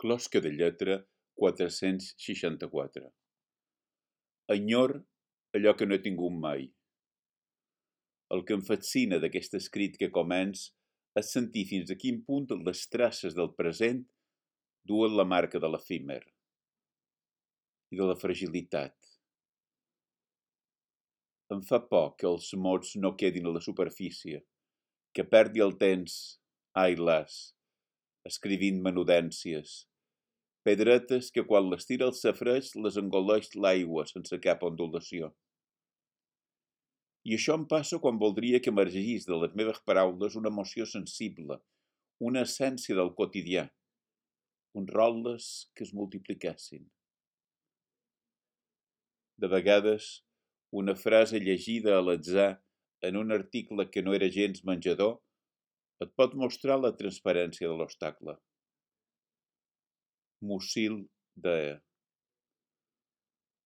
Closca de lletra 464. Enyor allò que no he tingut mai. El que em fascina d'aquest escrit que començ és sentir fins a quin punt les traces del present duen la marca de l'efímer i de la fragilitat. Em fa por que els mots no quedin a la superfície, que perdi el temps, ai las, escrivint menudències, pedretes que quan les tira el safareig les engoleix l'aigua sense cap ondulació. I això em passa quan voldria que emergís de les meves paraules una emoció sensible, una essència del quotidià, uns rotlles que es multipliquessin. De vegades, una frase llegida a l'atzar en un article que no era gens menjador et pot mostrar la transparència de l'obstacle. Musil de...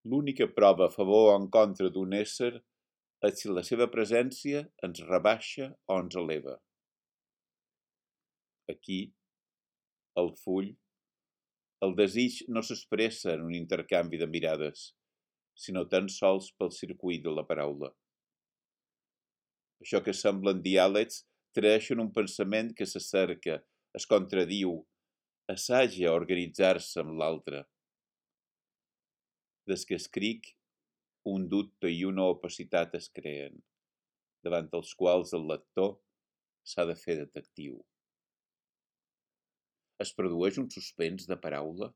L'única prova a favor o en contra d'un ésser és si la seva presència ens rebaixa o ens eleva. Aquí, al full, el desig no s'expressa en un intercanvi de mirades, sinó tan sols pel circuit de la paraula. Això que semblen diàlegs traeixen un pensament que s'acerca, es contradiu, assaja a organitzar-se amb l'altre. Des que escric, un dubte i una opacitat es creen, davant els quals el lector s'ha de fer detectiu. Es produeix un suspens de paraula?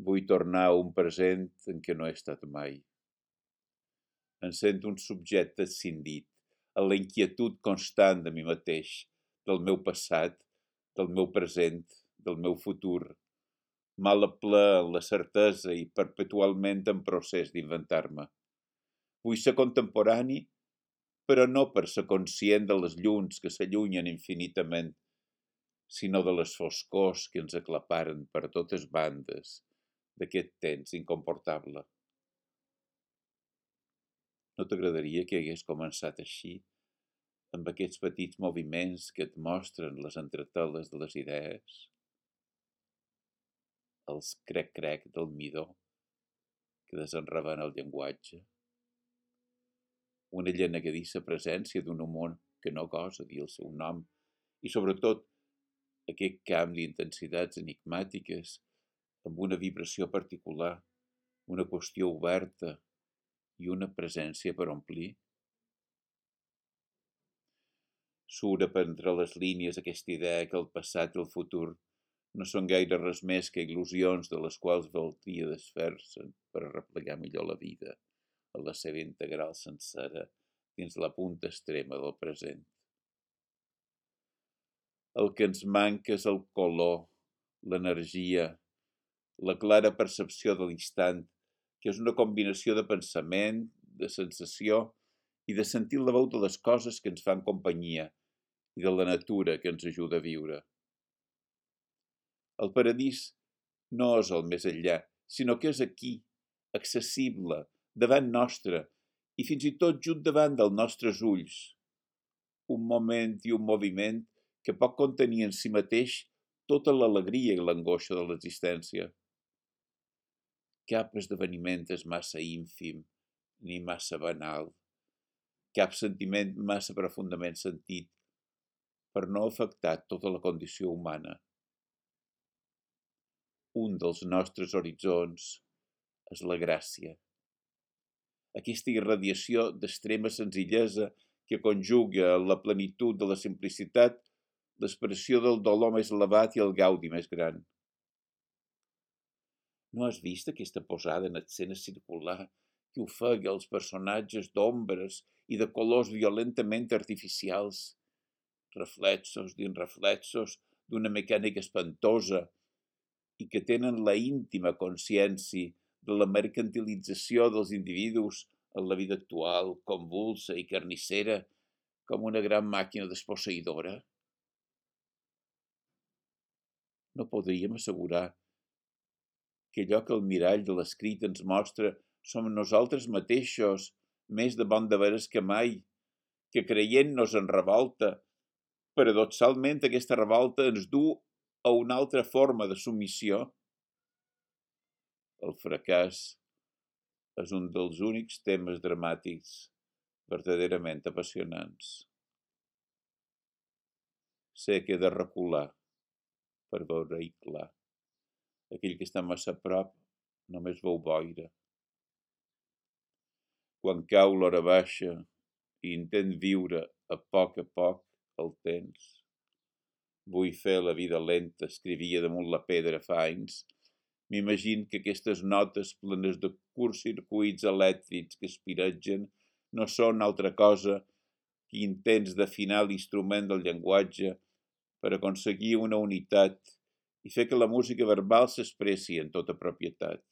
Vull tornar a un present en què no he estat mai. Em sento un subjecte escindit, a la inquietud constant de mi mateix, del meu passat, del meu present, del meu futur, mal a ple en la certesa i perpetualment en procés d'inventar-me. Vull ser contemporani, però no per ser conscient de les llums que s'allunyen infinitament, sinó de les foscors que ens aclaparen per totes bandes d'aquest temps incomportable. No t'agradaria que hagués començat així, amb aquests petits moviments que et mostren les entreteles de les idees? Els crec-crec del midó que desenraven el llenguatge? Una llenegadissa presència d'un humor que no gosa dir el seu nom i, sobretot, aquest camp d'intensitats enigmàtiques amb una vibració particular, una qüestió oberta i una presència per omplir? Surt per entre les línies aquesta idea que el passat i el futur no són gaire res més que il·lusions de les quals valdria desfer-se per replegar millor la vida a la seva integral sencera dins la punta extrema del present. El que ens manca és el color, l'energia, la clara percepció de l'instant, que és una combinació de pensament, de sensació i de sentir la veu de les coses que ens fan companyia i de la natura que ens ajuda a viure. El paradís no és el més enllà, sinó que és aquí, accessible, davant nostre i fins i tot just davant dels nostres ulls. Un moment i un moviment que pot contenir en si mateix tota l'alegria i l'angoixa de l'existència. Cap esdeveniment és massa ínfim ni massa banal, cap sentiment massa profundament sentit per no afectar tota la condició humana. Un dels nostres horitzons és la gràcia. Aquesta irradiació d'extrema senzillesa que conjuga en la plenitud de la simplicitat l'expressió del dolor més elevat i el gaudi més gran. No has vist aquesta posada en escena circular que ofega els personatges d'ombres i de colors violentament artificials, reflexos dins reflexos d'una mecànica espantosa i que tenen la íntima consciència de la mercantilització dels individus en la vida actual, convulsa i carnissera, com una gran màquina desposseïdora? No podríem assegurar que allò que el mirall de l'escrit ens mostra som nosaltres mateixos, més de bon de veres que mai, que creient-nos en revolta, paradoxalment aquesta revolta ens du o una altra forma de submissió, el fracàs és un dels únics temes dramàtics verdaderament apassionants. Sé que he de recular per veure-hi clar. Aquell que està massa a prop només veu boira. Quan cau l'hora baixa i intent viure a poc el temps. Vull fer la vida lenta, escrivia damunt la pedra fa anys. M'imagino que aquestes notes plenes de curts circuits elèctrics que espiretgen no són altra cosa que intents d'afinar l'instrument del llenguatge per aconseguir una unitat i fer que la música verbal s'expressi en tota propietat.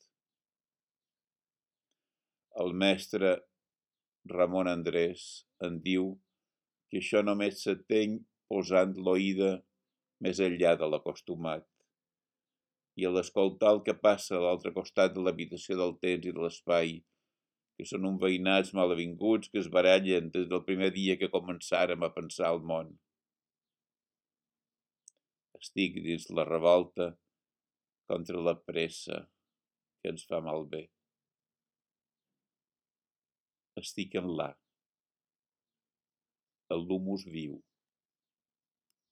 El mestre Ramon Andrés en diu que això només s'ateny posant l'oïda més enllà de l'acostumat. I a l'escoltar el que passa a l'altre costat de l'habitació del temps i de l'espai, que són uns veïnats malavinguts que es barallen des del primer dia que començàrem a pensar el món. Estic dins la revolta contra la pressa que ens fa malbé. Estic en l'humus viu.